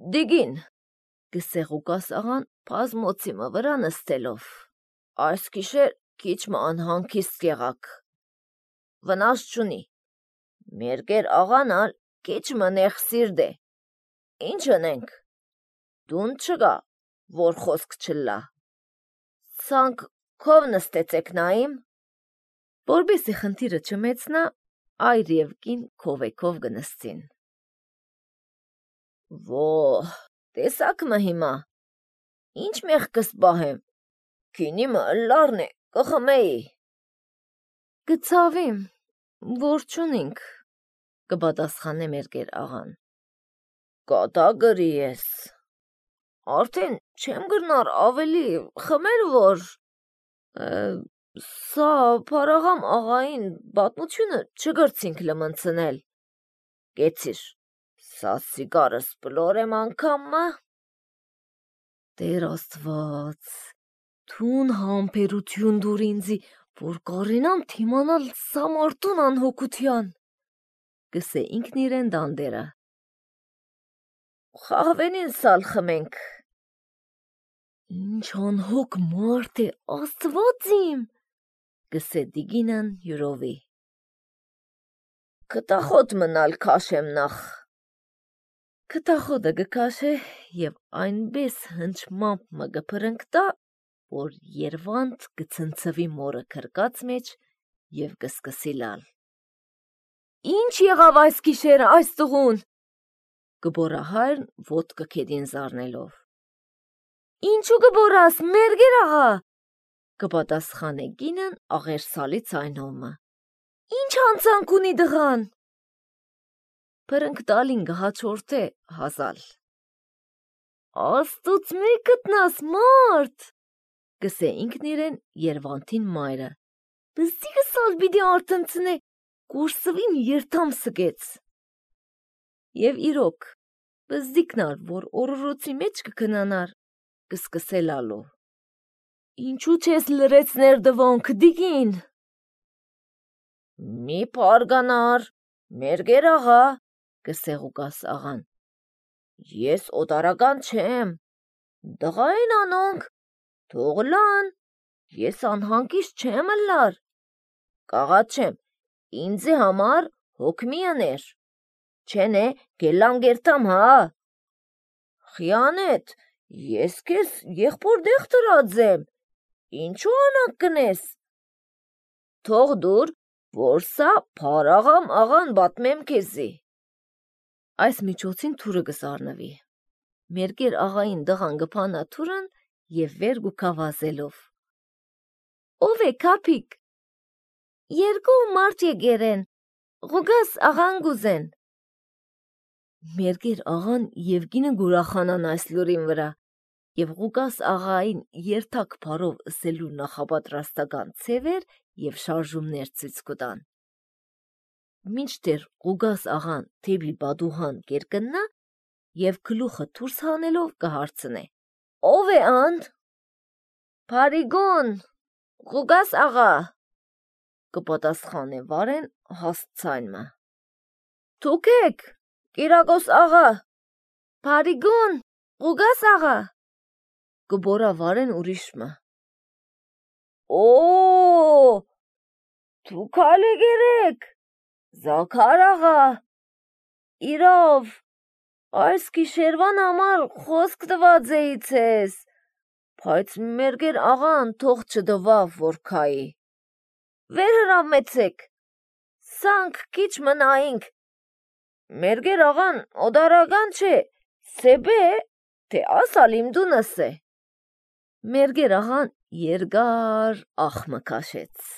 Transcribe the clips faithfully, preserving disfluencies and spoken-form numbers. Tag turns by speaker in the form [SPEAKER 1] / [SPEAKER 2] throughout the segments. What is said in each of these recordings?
[SPEAKER 1] Դիգին, գսեղուկաս աղան պազմոցի մը վրա նստելով, այս գիշեր քիչ մը անհանգիստ եղաք, վնաս չունի, մերգեր աղան ալ քիչ մը նեղսիրդ է, ինչ ընենք, դուն չգա, որ խոսք չլա, ցանք քով նստեցեք նայիմ, որբեսի խնդիրը չմեծնա, այր և կին քովեքով գնստին։ Ո, տեսակ մը հիմա, ինչ մեղքս բահեմ, քինի մը ըլլարն է, կխմեի։ Գցավիմ, որ չունինք, կպատասխանե մերգեր աղան։ Կատա գրի ես, արդեն չեմ գրնար ավելի խմեր որ, սա պարաղամ աղային բատնությունը չգրցինք լմնցնել, կեցիր, սա սիգարս պլորեմ անգամ մը։ Տեր աստված, թուն համպերություն դուր ինձի, որ կարենամ թիմանալ սա մարդուն անհոգության, գսե ինքն իրեն դանդերը։ Խաղվենին սալ խմենք։ Ինչ անհոգ մարդ է, աստված իմ, գսե Դիգինան յուրովի։ Կտախոտ մնալ քաշեմ նախ։ Կտախոտը գքաշե և այնպես հնչմամբ մը գփրնկտա, որ Երվանդ գցնցվի մորը քրկած մեջ և գսկսի լալ։ Ինչ եղավ այս գիշեր այս տղուն, կբորա հայրն ոտքը քեդին զարնելով։ Ինչու կբորաս, մերգեր աղա, կպատասխանե կինն աղերսալի ձայնովը։ Ինչ հանցանք ունի դղան։ Փրնկտալին գհաջորդե հազալ։ Աստուծո մի գտնաս մարդ, գսե ինքն իրեն Երվանդին մայրը։ Բզդիգը սալ բիդի արտնցնե, կուրսվին երթամ սգեց։ Եվ իրոք, բզդիկնար, որ օրորոցի մեջ կքնանար, կսկսե լալու։ Ինչու չես լրեցներ դվոնք, Դիգին։ Մի պարգանար, մերգեր աղա, գսեղուկաս աղան։ Ես օտարական չեմ, դղային անոնք, թող լան, ես անհանգիստ չեմ ըլլար, կաղաց չեմ, ինձի համար հոգ մի ըներ, չենե գելլան գերտամ հա, խիանետ, ես կեզ եղբոր դեղ տրածեմ, ինչու անակ կնես, թող դուր, որ սա պարաղամ աղան բատմեմ կեզի։ Այս միջոցին թուրը գզարնվի, մերգեր աղային դղան գպանա թուրն և վեր գուքավազելով։ Ով է կապիկ, երկու մարդ եգերեն, ղուգաս աղան գուզեն։ Մերգեր աղան և գինը գուրախանան այս լուրին վրա, և Ղուկաս աղային երթակ պարով ըսելու նախապատրաստական ցևեր և շարժումներ ցույց կտան։ Մինչդեռ Ղուկաս աղան թեբի բադուհան կերկնա և գլուխը դուրս հանելով կհարցնե. Ով է ան։ Փարիգոն, Ղուկաս աղա, կպատասխանե Վարեն հաստ ցայնը։ Դուք եք, Կիրակոս աղա, Փարիգոն, Ղուկաս աղա, կբորա Վարեն ուրիշմը։ Օ, դուք ալեգերեք, Զաքար աղա, իրավ, այս գիշերվան համար խոսք տված էի ցես, բայց մերգեր աղան թող չդվավ որ քայի։ Վեր հրամեցեք, սանք քիչ մնայինք, մերգեր աղան օդարական չէ, սեբե, թե ասալ իմ դունս է։ Մերգեր աղան երգար աղմը կաշեց։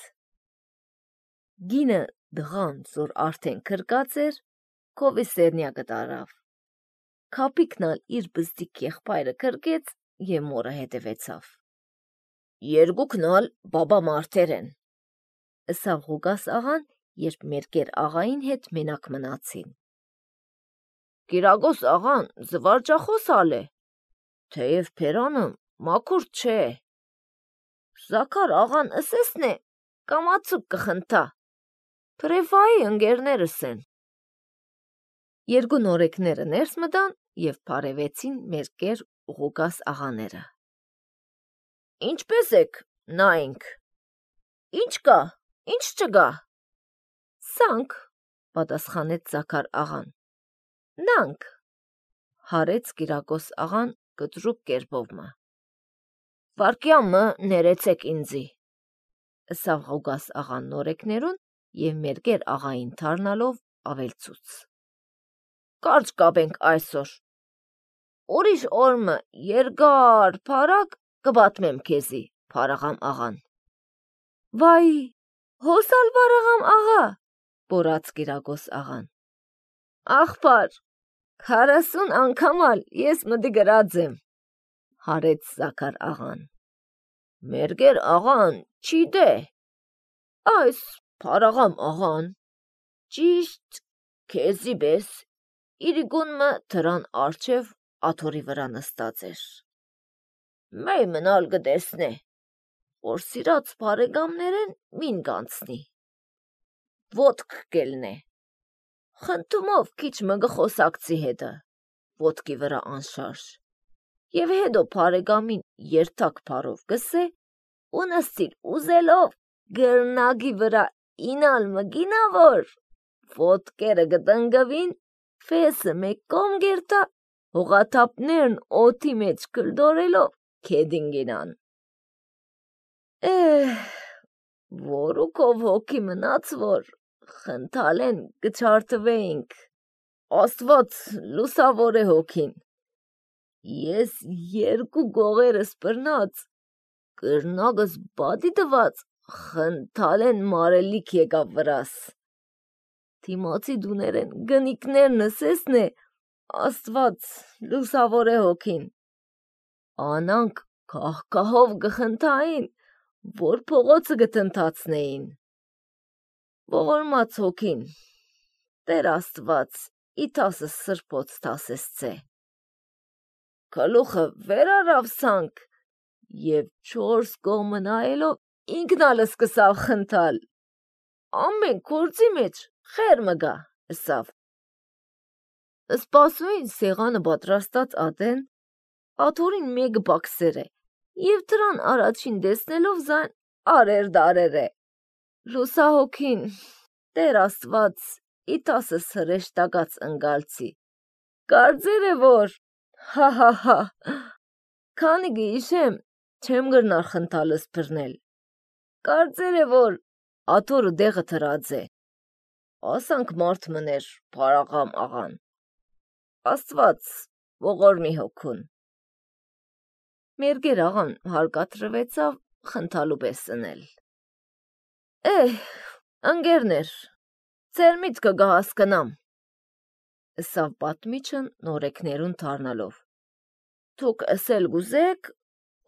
[SPEAKER 1] Գինը դղան, որ արդեն քրկած էր, քովի սերնյակը տարավ։ Քապիկնալ իր բզդիկ եղբայրը քրկեց և մորը հետևեցավ։ Երկուքնալ բաբա մարդեր են, ըսավ Ղուկաս աղան, երբ մերգեր աղային հետ մենակ մնացին։ Կիրակոս աղան զվարճախոս ալ է, թեև փերանը մաքուր չէ։ Զաքար աղան ըսեսն է, կամացուկ կխնդա, պրեվայի ընգերներս են։ Երկու նորեկները ներս մտան և բարևեցին Մերկեր ու Ղուկաս աղաները։ Ինչպե՞ս եք, նայենք։ Ինչ կա, ինչ չկա։ Սանք, պատասխանեց Զաքար աղան։ Նանք, հարեց Կիրակոս աղան կտրուկ կերպովը։ Վարկյամը ներեցեք ինձի, ըսավ Ղուկաս աղան նորեկներուն և Մերկեր աղային թարնալով ավելցուց։ Կարճ կապենք այսօր։ Ուրիշ օրմը երկար փարակ կպատմեմ քեզի, Փարաղամ աղան։ Վայ, հոսալ Փարաղամ աղա, բորաց Կիրակոս աղան։ Աղբար, քառասուն անգամալ ես մտի գրած եմ, հարեց Զաքար աղան։ Մերկեր աղան չի դե։ Այս Փարաղամ աղան ճիշտ քեզի պես իրիկունմը դրան արջև աթոռի վրա նստած էր։ Մեյ մնալ կտեսնե, որ սիրած բարեկամներեն մին կանցնի։ Ոտք կելնե։ Խնդումով քիչ մը գխոսակցի հետը, ոտքի վրա անշարժ։ Եվ հետո բարեկամին երթակ փարով գսե ու նստիր ուզելով գրնագի վրա ինալ մգինավոր, ոտքերը գտնգվին, ֆեսը մեկ կողմ գերտա, հողաթափներն օդի մեջ կլդորելով քեդին գինան։ Էհ, որուքով հոգի մնաց, որ խնդալեն կչարթվեինք, Աստված լուսավոր է հոգին։ Ես երկու գողերս բռնած, կրնագս բադի տված, խնդալեն մարելիք եկավ վրաս։ Թիմացի դուներեն գնիկներ նսեսն է, Աստված լուսավոր է հոգին։ Անանք կահկահով գխնդային, որ փողոցը գտնթացնեին։ Ողորմած հոգին, Տեր Աստված, իթասս սրբոց թասեսցե։ Գլուխը վեր արավ սանք և չորս կողմը նայելով ինքնալ սկսավ խնդալ։ Ամեն գործի մեջ խեր մգա, ըսավ։ Սպասուին սեղանը պատրաստած ատեն, աթոռին մեկ բաքսեր է, և դրան առաջին տեսնելով զայն արեր դարեր է։ Լուսահոգին, Տեր Աստված, իթասս հրեշտակած ընկալցի, կարծեր է, որ հա հա հա, քանի գիշեմ չեմ գրնար խնդալս բռնել, կարծեր է, որ աթոռը դեղը թրած է, ասանք մարդ մներ Փարաղամ աղան, Աստված ողորմի հոգուն։ Մերկեր աղան հարկադրվեցավ խնդալու պես ընել։ Էհ, ընկերներ, ձեր միտքը կհասկանամ, ըսավ պատմիչն նորեկներուն թարնալով։ Դուք ասել գուզեք,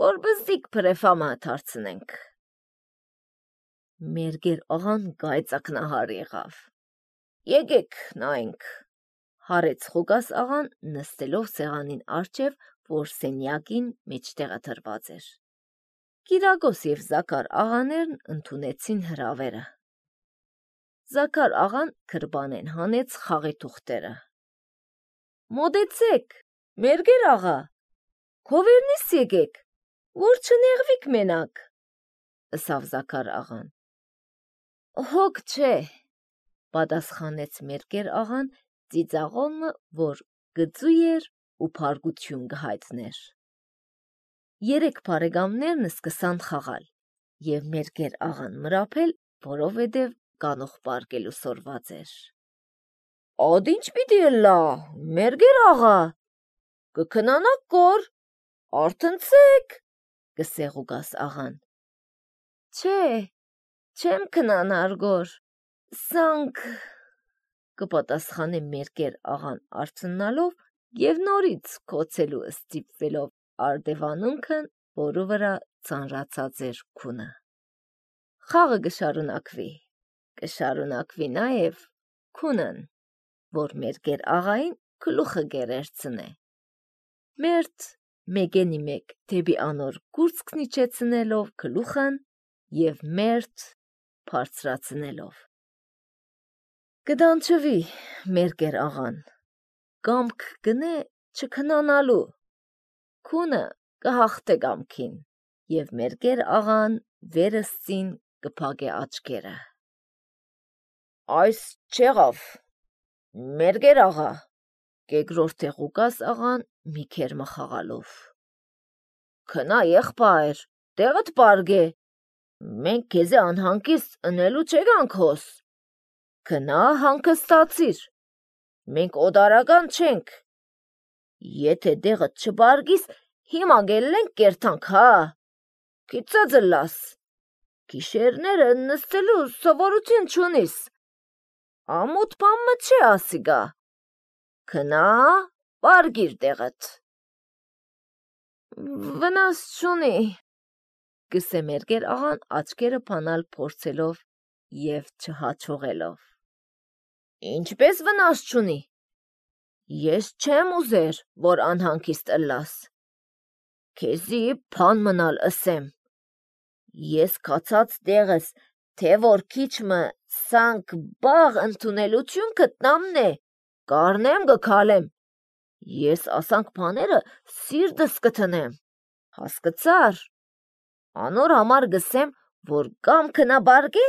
[SPEAKER 1] որ բզդիկ փրեֆամը դարձնենք։ Մերկեր աղան գայծակնահար եղավ։ Եկեք նայենք, հարեց Ղուկաս աղան նստելով սեղանին առջև, որ սենյակին մեջտեղը դրված էր։ Կիրակոս և Զաքար աղաներն ընդունեցին հրավերը։ Զաքար աղան քրբանեն հանեց խաղի թուղթերը։ Մոտեցեք, Մերկեր աղա, քովերնից եկեք, որ չնեղվիք մենակ, ըսավ Զաքար աղան։ Հոգ չէ, պատասխանեց Մերկեր աղան ծիծաղոմը, որ գծու էր ու փարգություն կհայտներ։ Երեք բարեկամներն սկսան խաղալ, և Մերկեր աղան մրափել, որովհետև կանուխ պարկելու սորված էր։ اد ինչ պիտի ըլլա, Մերկեր աղա, կքնանաք կոր, արթնցեք, գսե Ղուկաս աղան։ Չէ, չեմ քնանար գոր, սանք, կպատասխանե Մերկեր աղան արթնալով և նորից քոցելու ստիպվելով արդևանունքն, որու վրա ծանրացած էր քունը։ Խաղը կշարունակվի, կշարունակվի նաև քունն, որ Մերկեր աղային գլուխը կերերցնե։ Մերթ մեկենի մեկ դեպի անոր կուրծքն իջեցնելով գլուխն և մերթ բարձրացնելով։ Կդանչվի Մերկեր աղան, գամք գնե չքնանալու, քունը կհաղթե գամքին, և մերգեր աղան վերըստին կփակե աչքերը։ Այս չեղավ, մերգեր աղա, կեգրորդ է Ղուկաս աղան մի քերմը խաղալով։ Քնա եղբայր, տեղդ պարգե, մենք քեզի անհանգիստ ընելու չեգանք հոս։ Քնա հանգստացիր, մենք օդարական չենք։ Եթե դեղդ չբարգիս, հիմա գելենք կերթանք, հա, կիծած լաս, գիշերները նստելու սովորություն չունիս, ամուտ պամը չէ ասիգա, քնա, բարգիր դեղդ։ Վնաս չունի, գսե մերգեր աղան աչքերը փանալ փորձելով և չհաջողելով։ Ինչպես վնաս չունի, ես չեմ ուզեր, որ անհանգիստ ըլլաս, քեզի փան մնալ ըսեմ, ես կացած դեղս, թե որ քիչմը սանք բաղ ընդունելություն գտնամն է, կարնեմ գքալեմ, ես ասանք բաները սիրտս կթնեմ, հասկացար, անոր համար գսեմ, որ կամ քնա բարգե,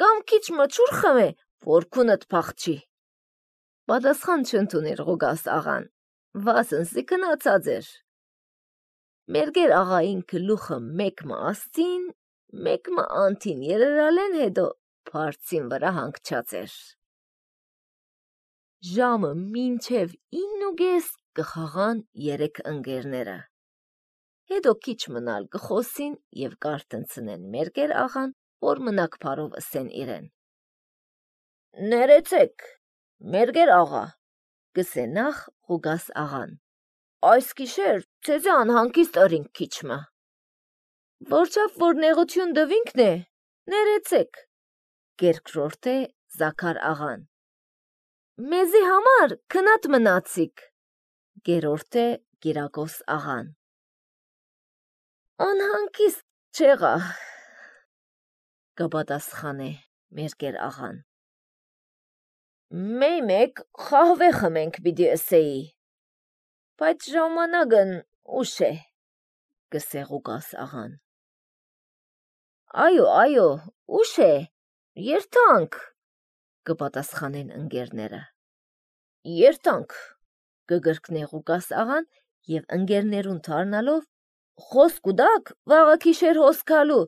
[SPEAKER 1] կամ քիչմը ջուր խմե, որ քունդ փախչի։ Պատասխան չընդուներ Ղուկաս աղան, վասնսի քնացած էր։ Մերգեր աղային գլուխը մեկմը աստին, մեկմը անթին երերալեն հետո բարձին վրա հանգչած էր։ Ժամը մինչև իննուգես կխաղան երեք ընկերները։ Հետո քիչ մնալ կխոսին և կարտնցնեն մերգեր աղան, որ մնակ բարով ըսեն իրեն։ Ներեցեք, մերգեր աղա, գսե նախ Ղուկաս աղան, այս գիշեր ցեզի անհանգիստ ըրինք քիչմը։ Որչավ որ նեղություն դվինքն է, ներեցեք, կերկրորդ է Զաքար աղան։ Մեզի համար քնատ մնացիք, գերորդ է Կիրակոս աղան։ Անհանգիստ չեղա, կպատասխանե մերգեր աղան։ Մեյ մեկ խահվե խմենք պիտի ըսեի, բայց ժամանակն ուշ է, գսե Ղուկաս աղան։ Այո, այո, ուշ է, երթանք, կպատասխանեն ընկերները։ Երթանք, կգրկնե Ղուկաս աղան և ընկերներուն թարնալով խոսք ուդակ վաղը գիշեր հոսքալու,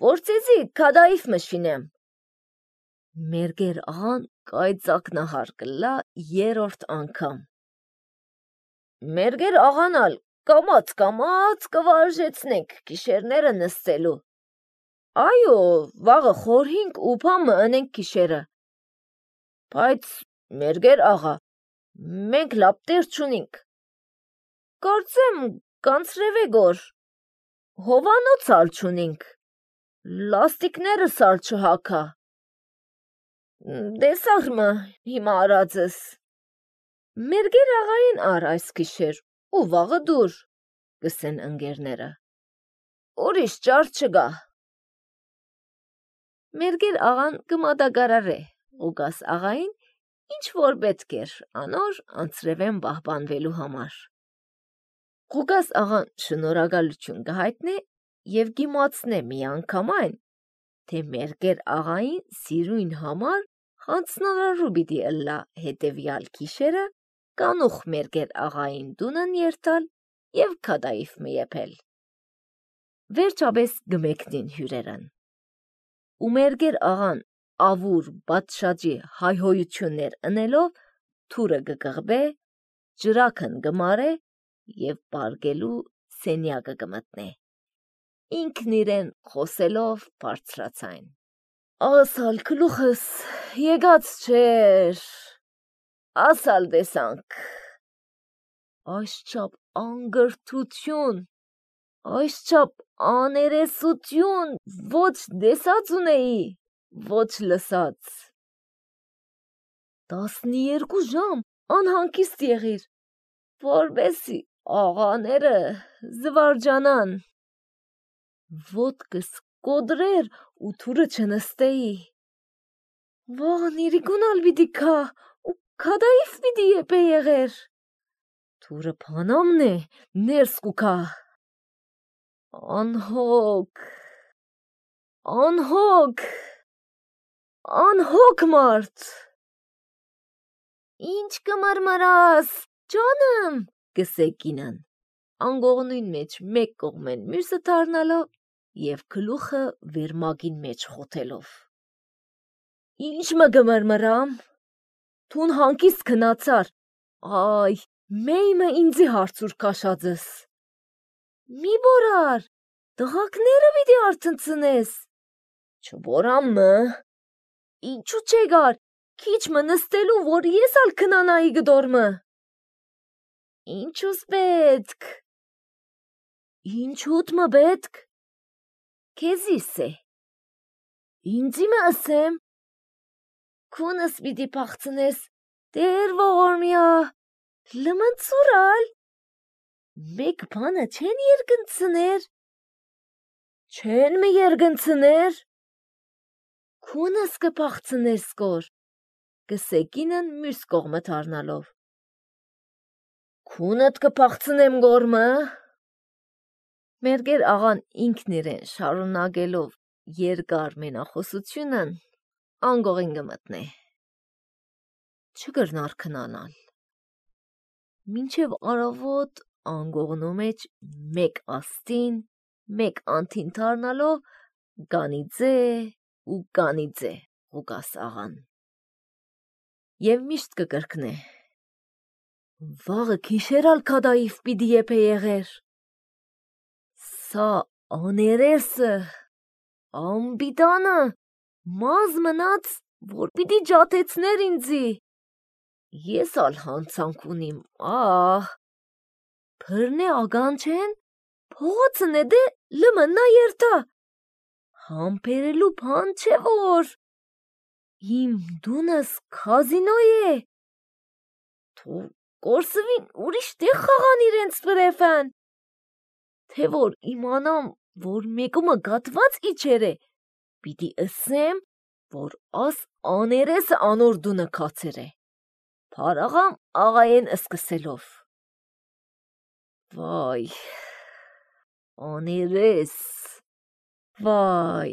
[SPEAKER 1] որ ցեզի քադայիվ մշինեմ։ Մերգեր աղան կայծակնահար կլա երորդ անգամ։ Մերգեր աղանալ կամաց կամաց կվարժեցնենք գիշերները նստելու։ Այո, վաղը խորհինք ու փամը ընենք գիշերը։ Բայց մերգեր աղա, մենք լապտեր չունինք։ Կարծեմ կանցրևե գոր, հովանոց ալ չունինք, լաստիկները սալ չհակա։ Դեսաղմը հիմա արածս։ Մերգեր աղային ար այս գիշեր ու վաղը դուր, գսեն ընկերները։ Ուրիշ ճար չգա։ Մերգեր աղան կմատակարարե Ղուկաս աղային, ինչ որ պետք էր անոր անցրևեն պահպանվելու համար։ Ղուկաս աղան շնորհակալություն կհայտնե և գիմացնե միանգամայն, թե մերգեր աղային սիրույն համար հանձնարարու պիտի ըլլա հետևյալ գիշերը կանուխ մերգեր աղային տունն երթալ և քադայիվ մը եփել։ Վերջապես գմեկնին հյուրերն։ Ու մերգեր աղան ավուր պատշաճի հայհոյություններ ընելով թուրը կկղբե, ջրաքն կմարե և պարգելու սենյակը կմտնե։ Ինքն իրեն խոսելով բարձրացայն։ Ասալ գլուխս եկած չէր, ասալ տեսանք։ Այսչափ անգրթություն, այսչափ աներեսություն ոչ տեսած ունեի, ոչ լսած։ Տասնիերկու ժամ անհանգիստ եղիր, որպեսզի աղաները զվարճանան։ Ոտքս կոտրեր ու թուրը չնստեի։ Վաղն իրիկունալ պիտի քա ու քադայիվ պիտի եփե եղեր։ Թուրը փանամն է, ներս կուքա։ Անհոգ, անհոգ, անհոգ մարդ։ Ինչ կմարմարաս, ջանım, գսե կինան, անգողնույն մեջ մեկ կողմեն մյուսը դառնալով և գլուխը վերմագին մեջ խոթելով։ Ինչ մը գմրմրամ, թուն հանկիստ քնացար, այ, մեյմը ինձի հարցուր կաշածս։ Մի բորար, տղակները պիտի արթնցնես։ Չբորամ մը, ինչու չեգար, քիչ մը նստելու, որ ես ալ քնանայի գդորմը։ Ինչուս պետք։ Ինչուտ մը պետք։ Քեզիս է։ Ինձի մը ասեմ։ Քունս պիտի փախցնես, դեր ողորմյա, լմնցուրալ, մեկ բանը չեն երգնցներ, չեն մը երգնցներ, քունս կփախցնես կոր, գսե կինն մյուս կողմը դառնալով։ Քունդ կփախցնեմ գորմը։ Մերգեր աղան ինքն իրեն շարունակելով երկար մենախոսությունն անգողին գմտնե։ Չգրնար քնանալ։ Մինչև առավոտ անգողնու մեջ մեկ աստին, մեկ անթին դառնալով գանիձե ու գանիձե Ղուկաս աղան։ Եվ միշտ կկրկնե. Վաղը քիշերալ քադայիվ պիտի եփե եղեր։ Սա աներեսը, ամբիտանը, մազ մնաց, որ պիտի ջաթեցներ ինձի։ Ես ալ հանցանք ունիմ, ահ, փրնե ագանչեն, փողոցն է դե լմնա երթա, համբերելու բան չէ որ, իմ դունս կազինո է, թող կորսվին ուրիշ տեղ խաղան իրենց վրեվան, թե որ իմանամ, որ մեկումը գատված իչեր է, պիտի ասեմ, որ աս աներեսը անոր դունը կացեր է, փարաղամ աղայեն սկսելով։ Վայ, աներես, վայ,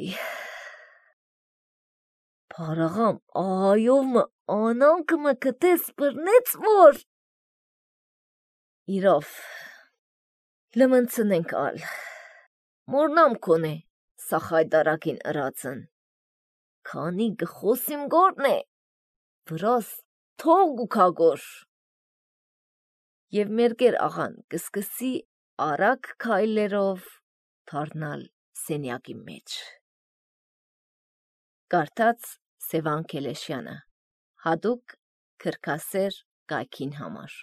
[SPEAKER 1] փարաղամ աղայով մը անանք մը կտես բրնեց որ։ Իրով, լմնցնենք ալ, մորնամ կոնե, սա խայդարակին ըրացն, քանի գխոսիմ գորն է, վրաս թող գուքագոր։ Եվ մերգեր աղան կսկսի արագ քայլերով դառնալ սենյակի մեջ։ Կարդաց Սևան Քելեշյանը, հատուկ քրքասեր կայքին համար։